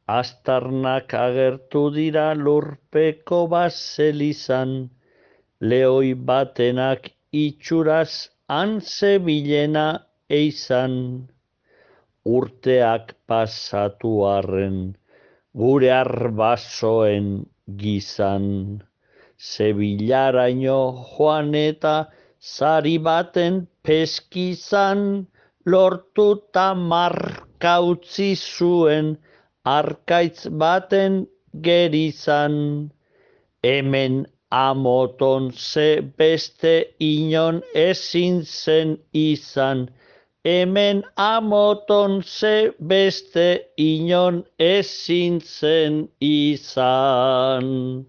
Astarnak agertu dira lurpeko baselizan, lehoi batenak itxuraz han zebilena eizan. Urteak pasatu arren, gure arbasoen gizan. Zebilaraino joan eta zari baten peskizan, lortuta marka utzi zuen arkaitz baten gerizan. Hemen amoton ze beste inon ezin zen izan, hemen amoton ze beste inon ezin zen izan.